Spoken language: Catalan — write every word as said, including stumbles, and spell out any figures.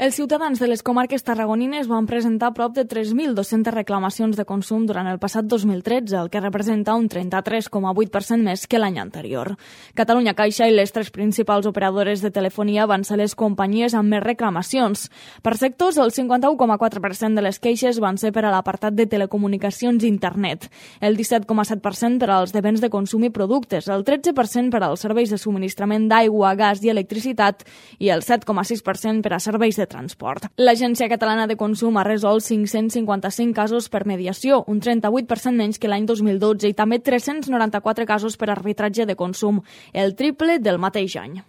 Els ciutadans de les comarques tarragonines van presentar prop de tres mil dos-centes reclamacions de consum durant el passat dos mil tretze, el que representa un trenta-tres coma vuit per cent més que l'any anterior. Catalunya Caixa i les tres principals operadores de telefonia van ser les companyies amb més reclamacions. Per sectors, el cinquanta-u coma quatre per cent de les queixes van ser per a l'apartat de telecomunicacions i internet, el disset coma set per cent per als de béns de consum i productes, el tretze per cent per als serveis de subministrament d'aigua, gas i electricitat i el set coma sis per cent per a serveis de transport. L'Agència Catalana de Consum ha resolt cinc-cents cinquanta-cinc casos per mediació, un trenta-vuit per cent menys que l'any dos mil dotze, i també tres-cents noranta-quatre casos per arbitratge de consum, el triple del mateix any.